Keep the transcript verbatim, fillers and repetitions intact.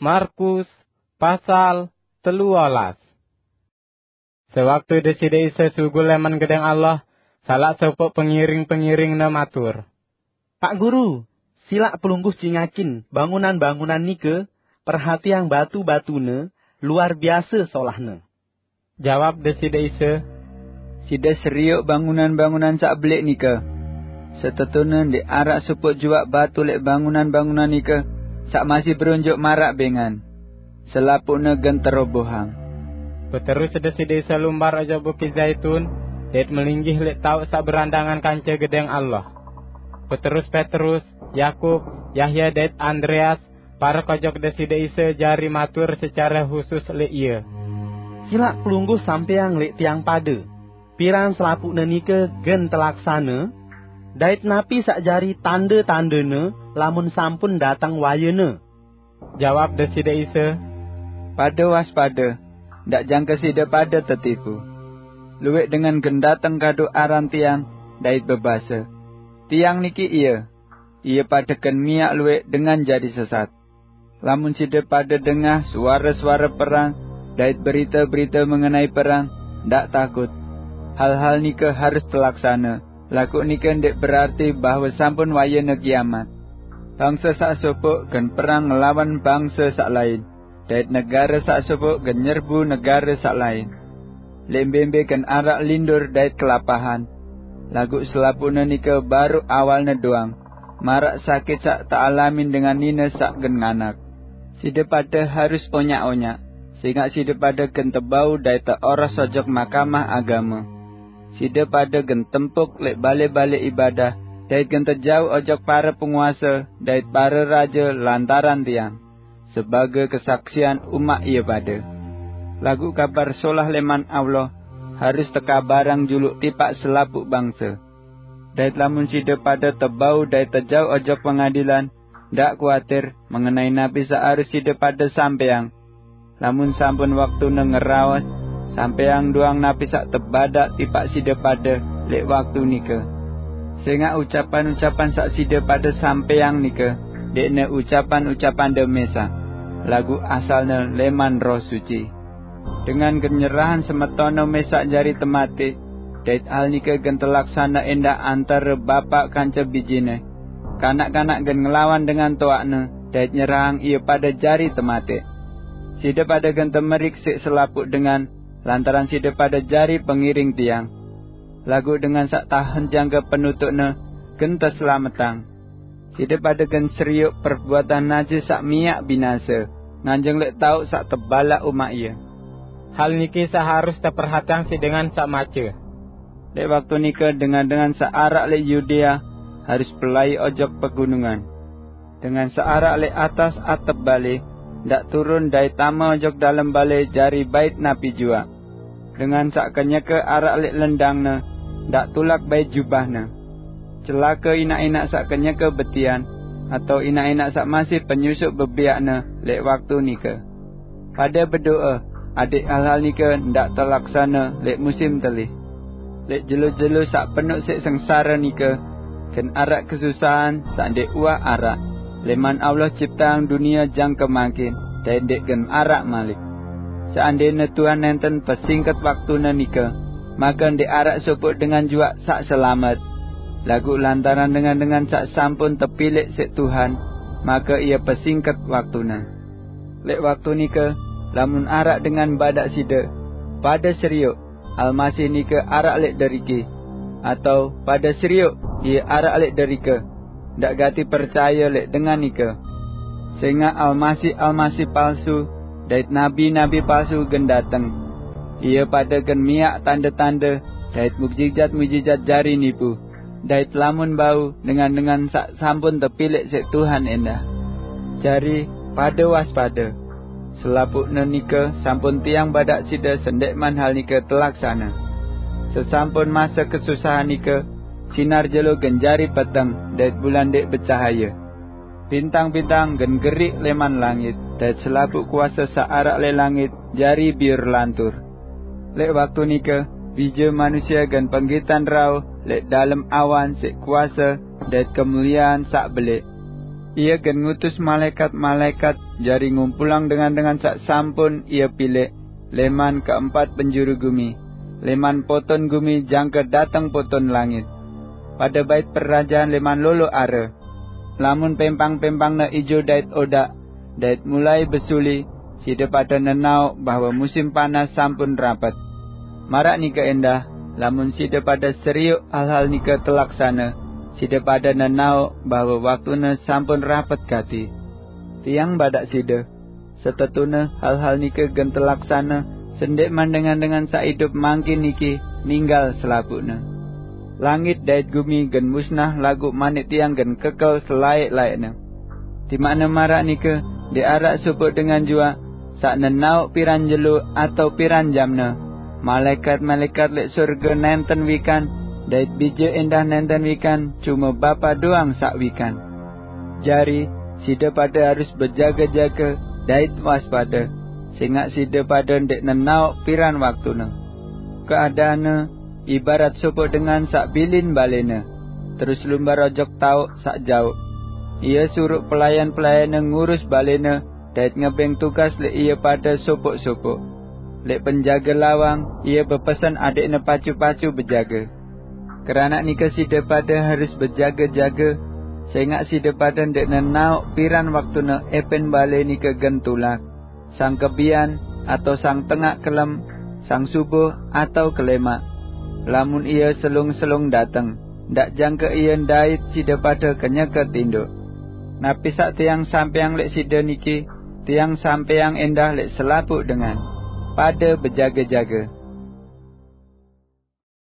Markus pasal telualas. Sewaktu Deside Isa sugul leman Gedeng Allah, salak sopoq pengiring-pengiring-Ne matur, "Pak Guru, silaq Pelungguh cingakin bangunan-bangunan nike, perhatiang batu-batune, luar biase solahne." Jawab Deside Isa, "Side serioq bangunan-bangunan saq beleq nike. Setetune ndeq araq sopoq juaq batu leq bangunan-bangunan nike saq masih beronjoq maraq bengan. Selapuqne gen terobohang." Beterus Deside Isa lumbar ojok Bukit Zaitun, dait melinggih leq taoq saq berandangan kance Gedeng Allah. Beterus Petrus, Yakub, Yahya dait Andreas parek ojok Deside Isa jari matur secare husus leq Ie, "Silaq Pelungguh sampeang leq tiang pade, piran selapuqne nike gen telaksane, dait napi saq jari tande-tandene lamun sampun dateng wayene?" Jawab Deside Isa, "Pade waspade, ndaq jangke side pade tetipu. Lueq dengan gen dateng kadu aran Tiang dait bebase, 'Tiang niki Ie,' ie pade gen miaq lueq dengan jari sesat. Lamun side pade dengah suare-suare perang dait berite-berite mengenai perang, ndaq takut. Hal-hal nike harus telaksane, laguq nike ndeq berarti bahwe sampun wayene kiamat. Bangse saq sopoq gen perang ngelawan bangse saq lain, dait negare saq sopoq gen nyerbu negare saq lain. Leq mbe-mbe gen araq lindur dait kelapahan. Laguq selapuqne nike baruq awalne doang, maraq sakit saq tealamin dengan nine saq gen nganak. Side pade harus onyaq-onyaq, sengaq side pade gen tebau dait teoros ojok Mahkamah Agame. Side pade gen tempuk leq bale-bale ibadah, dait gen tejauq ojok pare penguase dait pare raje lantaran Tiang, sebage kesaksian umaq ie pade. Laguq Kabar Solah leman Allah harus tekabarang juluq tipaq selapuq bangse. Dait lamun side pade tebau dait tejauq ojok pengadilan, ndaq kuatir mengenai napi saq harus side pade sampeang. Lamun sampun waktune ngeraos, sampeang doang napi saq tebadaq tipaq side pade leq waktu nike. Sengaq ucapan-ucapan saq side pade sampeang nike ndeqne ucapan-ucapande mesaq, laguq asalne leman Roh Suci. Dengan gen nyerahang semetonne mesaq jari temate, dait hal nike gen telaksane endah antare bapaq kance bijene. Kanak-kanak gen ngelawan dengan toaqne dait nyerahang ie pade jari temate. Side pade gen temerik siq selapuq dengan lantaran side pade jari pengiring Tiang. Laguq dengan saq tahen jangke penutuqne gen teselametang. Side pade gen serioq perbuatan najis saq miaq binase, nganjeng leq taoq saq tebalaq umaq ie. Hal niki saq harus teperhatiang siq dengan saq mace. Leq waktu nike dengan-dengan saq araq leq Yudea harus pelai ojok pegunungan. Dengan saq araq leq atas atep bale, ndaq turun dait tame ojok dalem bale jari bait napi juaq. Dengan saq kenyeke araq leq lendangne, ndaq tulak bait jubahne. Celake inaq-inaq saq kenyeke betian, atao inaq-inaq saq masih penyusuq bebiaqne leq waktu nike. Pade bedoe, adaq hal-hal nike ndaq telaksane leq musim telih. Leq jelo-jelo saq penuq siq sengsare nike, gen araq kesusahan saq ndeq uwah araq, leman Allah cipteang dunie jangke mangkin, dait ndeq gen araq malik. Seandene Tuhan nenten pesingket waktune nike, make ndeq araq sopoq dengan juaq saq selamet. Laguq lantaran dengan-dengan saq sampun tepilek siq Tuhan, make ie pesingket waktune. Leq waktu nike, lamun araq dengan badaq side, 'Pade serioq, Almasih nike araq leq deriki,' atao 'Pade serioq, Ie araq leq derike,' ndaq gati percaye leq dengan nike. Sengaq almasih-almasih palsu dait nabi-nabi palsu gen dateng. Ie pade gen miaq tande-tande dait mujijat-mujijat jari nipu, dait lamun bau dengan-dengan saq sampun tepilek siq Tuhan endah. Jari, pade waspade. Selapuqne nike sampun tiang badaq side sendekman hal nike telaksane. Sesampun mase kesusahan nike, sinar jelo gen jari peteng dait bulan ndeq becahaye. Bintang-bintang gen geriq leman langit, dait selapuq kuase saq araq leq langit jari biur lantur. Leq waktu nike, Bije Manusie gen penggitan rauh leq dalem awan siq kuase dait kemuliean saq beleq. Ie gen ngutus malaekat-malaekat jari ngumpulang dengan-dengan sak sampun ia pilik leman keempat penjuru gumi, leman poton gumi jangka dateng poton langit. Pada bait perajaan leman lolo are. Lamun pempang-pempangna ijo dait odak, dait mulai besuli, sida pada nenaok bahwa musim panas sampun rapet. Marak nika endah, lamun sida pada seriuk hal-hal nika telaksana, sida pada nenaok bahwa waktune sampun rapet gati. Tiang badak sida, setetune hal-hal nika gen telaksana, sendek mandengan-dengan saidup mangkin niki ninggal selapukne. Langit dait gumi gen musnah lagu manik tiang gen kekel selaik-laikne. Timakne marak nika, ndeq araq sopoq dengan juaq saq nenaoq piran jelo atau piran jamne. Malaekat-malaekat leq sorge nenten wikan, dait bije endah nenten wikan, cume Bapa doang saq wikan. Jari, side pade harus bejage-jage dait waspade, sengaq side pade ndeq nenaoq piran waktune. Keadaanne ibarat sopoq dengan saq bilin balene, terus lumbar ojok taoq saq jaoq. Ie suruq pelayan-pelayanne ngurus balene dait ngebeng tugas leq ie pade sopoq-sopoq. Leq penjage lawang, ie bepesen adeqne pacu-pacu bejage. Keranaq nike side pade harus bejage-jage, sengaq side pade ndeq nenaoq piran waktune epen bale nike gen tulak, sang kebian, atau sang tengaq kelem, sang subuh, atau kelemaq. Lamun ie selung-selung dateng, ndaq jangke ie ndait side pade kenyeke tindoq. Napi saq tiang sampeang leq side niki, tiang sampeang endah leq selapuq dengan. Pade bejage-jage.